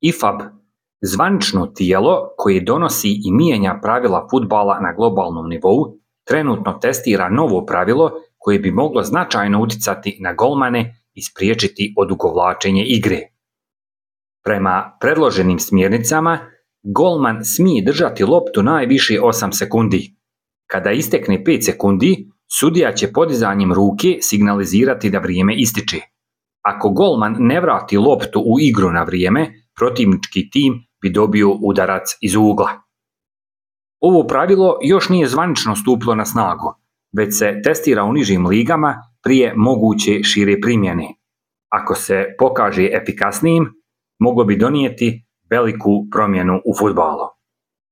IFAB, zvanično tijelo koje donosi i mijenja pravila fudbala na globalnom nivou, trenutno testira novo pravilo koje bi moglo značajno utjecati na golmane i spriječiti odugovlačenje igre. Prema predloženim smjernicama, golman smije držati loptu najviše 8 sekundi. Kada istekne 5 sekundi, sudija će podizanjem ruke signalizirati da vrijeme ističe. Ako golman ne vrati loptu u igru na vrijeme, protivnički tim bi dobio udarac iz ugla. Ovo pravilo još nije zvanično stupilo na snagu, već se testira u nižim ligama prije moguće šire primjene. Ako se pokaže efikasnijim, moglo bi donijeti veliku promjenu u fudbalu.